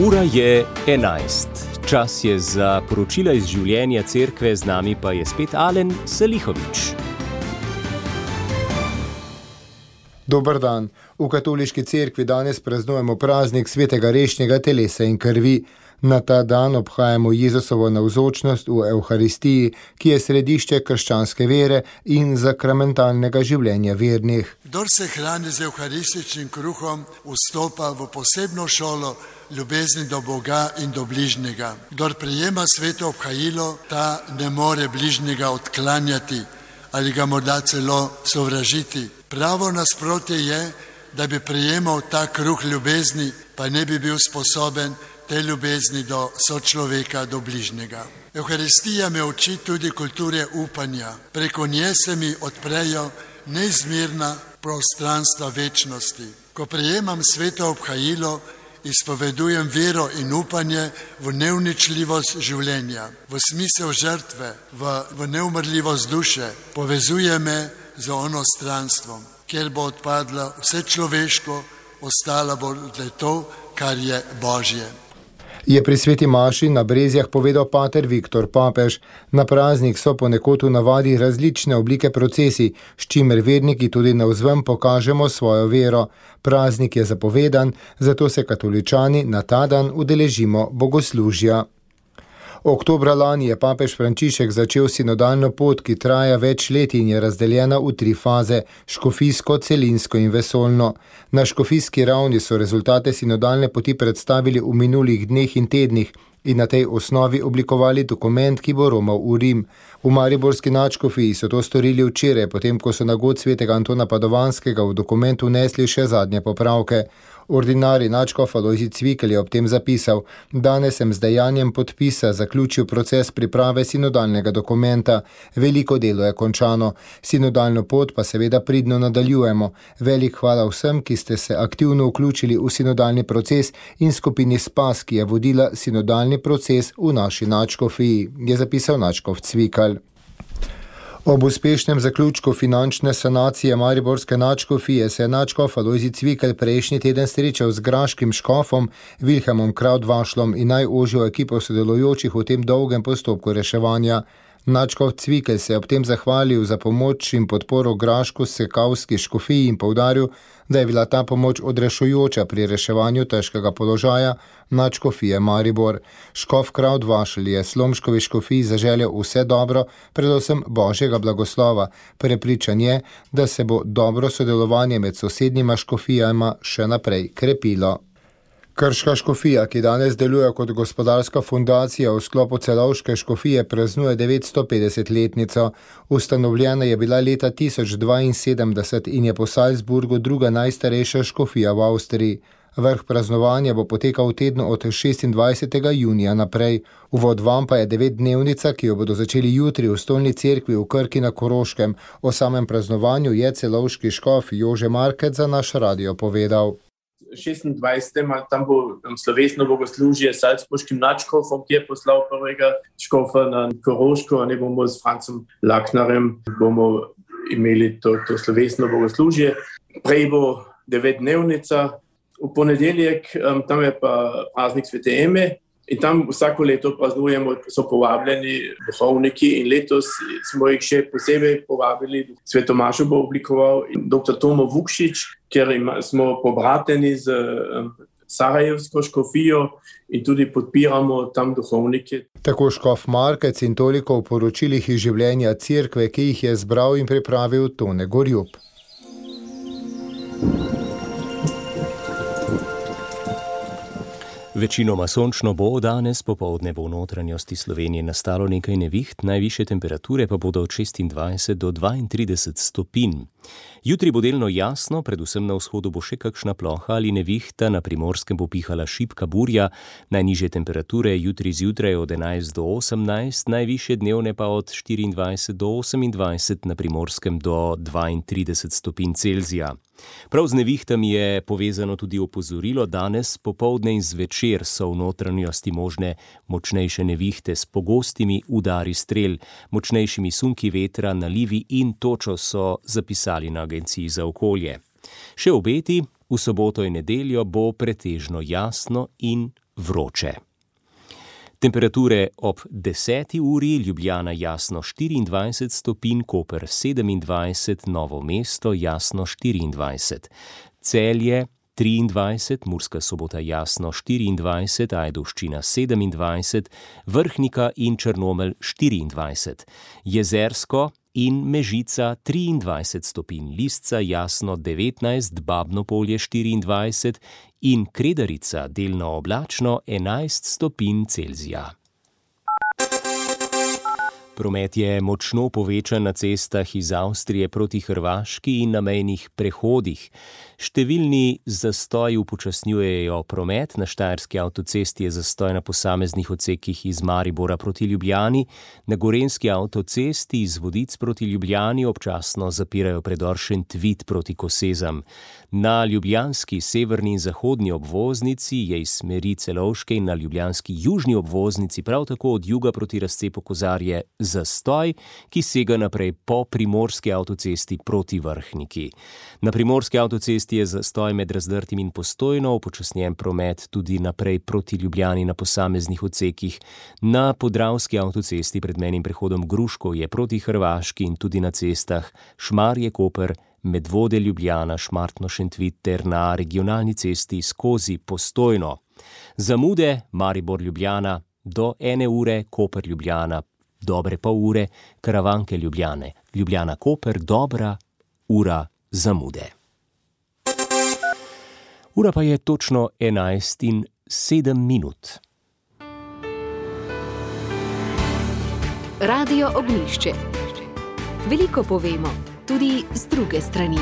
Ura je 11. Čas je za poročila iz življenja cerkve, z nami pa je spet Alen Selihovič. Dober dan. V katoliški cerkvi danes praznujemo praznik svetega rešnjega telesa in krvi. Na ta dan obhajamo Jezusovo navzočnost v Evharistiji, ki je središče krščanske vere in sakramentalnega življenja vernih. Kdor se hrani z evharističnim kruhom, vstopa v posebno šolo ljubezni do Boga in do bližnjega. Kdor prejema sveto obhajilo, ta ne more bližnjega odklanjati ali ga morda celo sovražiti. Pravo nasprotje je, da bi prejemal ta kruh ljubezni, pa ne bi bil sposoben te ljubezni do sočloveka, do bližnjega. Evharistija me uči tudi kulture upanja. Preko nje se mi odprejo neizmerna prostranstva večnosti. Ko prejemam sveto obhajilo, izpovedujem vero in upanje v neuničljivost življenja, v smisel žrtve, v neumrljivost duše. Povezuje me z onostranstvom, kjer bo odpadlo vse človeško, ostalo bo le to, kar je Božje. Je pri sveti maši na Brezjah povedal pater Viktor Papež. Na praznik so ponekod v navadi različne oblike procesij, s čimer verniki tudi navzven pokažemo svojo vero. Praznik je zapovedan, zato se katoličani na ta dan udeležimo bogoslužja. Oktobra lani je papež Frančišek začel sinodalno pot, ki traja več let in je razdeljena v 3 faze: škofijsko, celinsko in vesoljno. Na škofijski ravni so rezultate sinodalne poti predstavili v minulih dneh in tednih in na tej osnovi oblikovali dokument, ki bo romal v Rim. V mariborski nadškofiji so to storili včeraj, potem ko so na god svetega Antona Padovanskega v dokument vnesli še zadnje popravke. Ordinarij nadškof Alojzij Cvikl je ob tem zapisal: danes sem z dejanjem podpisa zaključil proces priprave sinodalnega dokumenta. Veliko delo je končano. Sinodalno pot pa seveda pridno nadaljujemo. Velik hvala vsem, ki ste se aktivno vključili v sinodalni proces in skupini Spas, ki je vodila sinodalni proces v naši nadškofiji, je zapisal nadškof Cvikl. Ob uspešnem zaključku finančne sanacije mariborske nadškofije se je nadškof Alojzij Cvikl prejšnji teden srečal z graškim škofom Vilhelmom Krautvašlom in najožjo ekipo sodelujočih v tem dolgem postopku reševanja. Nadškof Cvikl se je ob tem zahvalil za pomoč in podporo graško-sekavski škofiji in poudaril, da je bila ta pomoč odrešujoča pri reševanju težkega položaja nadškofije Maribor. Škof Krautvašl je Slomškovi škofiji zaželel vse dobro, predvsem Božjega blagoslova. Prepričan je, da se bo dobro sodelovanje med sosednjima škofijama še naprej krepilo. Krška škofija, ki danes deluje kot gospodarska fundacija v sklopu Celovške škofije, praznuje 950-letnico. Ustanovljena je bila leta 1072 in je po Salzburgu druga najstarejša škofija v Avstriji. Vrh praznovanja bo potekal v tednu od 26. junija naprej. Uvod vam pa je 9-dnevnica, ki jo bodo začeli jutri v stolni cerkvi v Krki na Koroškem. O samem praznovanju je celovški škof Jože Markec za naš radio povedal. 26. tam bo slovesno bogoslužje s salzburškim nadškofom, ki je poslal prvega škofa na Koroško, ne bomo s Francom Laknerjem bomo imeli to slovesno bogoslužje. Prej bo 9-dnevnica, v ponedeljek tam je pa praznik svete Eme in tam vsako leto praznujemo, so povabljeni duhovniki in letos smo jih še posebej povabili. Sveto mašo bo oblikoval dr. Tomo Vukšič, ker smo pobrateni z Sarajevsko škofijo in tudi podpiramo tam duhovnike. Tako škof Markec in toliko o poročilih iz življenja cerkve, ki jih je zbral in pripravil Tone Gorjup. Večinoma sončno bo, danes popoldne bo v notranjosti Slovenije nastalo nekaj neviht, najvišje temperature pa bodo od 26 do 32 stopinj. Jutri bo delno jasno, predvsem na vzhodu bo še kakšna ploha ali nevihta, na Primorskem bo pihala šibka burja, najnižje temperature jutri zjutraj od 11 do 18, najvišje dnevne pa od 24 do 28, na Primorskem do 32 stopinj Celzija. Prav z nevihtami je povezano tudi opozorilo, danes popoldne in zvečer so v notranjosti možne močnejše nevihte s pogostimi udari strel, močnejšimi sunki vetra, nalivi in točo, so zapisali na Agenciji za okolje. Še obeti, v soboto in nedeljo bo pretežno jasno in vroče. Temperature ob 10. uri, Ljubljana jasno 24 stopinj, Koper 27, Novo mesto jasno 24, Celje 23, Murska Sobota jasno 24, Ajdovščina 27, Vrhnika in Črnomelj 24, Jezersko in Mežica 23 stopinj, Lisca jasno 19, Babno Polje 24 in Kredarica delno oblačno 11 stopinj Celzija. Promet je močno povečan na cestah iz Avstrije proti Hrvaški in na mejnih prehodih. Številni zastoji upočasnjujejo promet, na Štajerski avtocesti je zastoj na posameznih odsekih iz Maribora proti Ljubljani, na Gorenjski avtocesti iz Vodic proti Ljubljani občasno zapirajo predor Šentvid proti Kosezam. Na ljubljanski severni in zahodni obvoznici je iz smeri Celovške in na ljubljanski južni obvoznici prav tako od juga proti razcepu Kozarje zastoj, ki sega naprej po primorski avtocesti proti Vrhniki. Na primorski avtocesti je zastoj med Razdrtim in Postojno, upočasnjen promet tudi naprej proti Ljubljani na posameznih odsekih. Na podravski avtocesti pred mejnim prehodom Gruško je proti Hrvaški in tudi na cestah Šmarje-Koper, Medvode-Ljubljana, Šmartno-Šentvid ter na regionalni cesti skozi Postojno. Zamude Maribor-Ljubljana do 1 ure, Koper-Ljubljana dobre pol ure, Karavanke-Ljubljane, Ljubljana-Koper dobra ura zamude. Ura pa je točno 11:07. Radio Ognjišče. Veliko povemo, tudi z druge strani.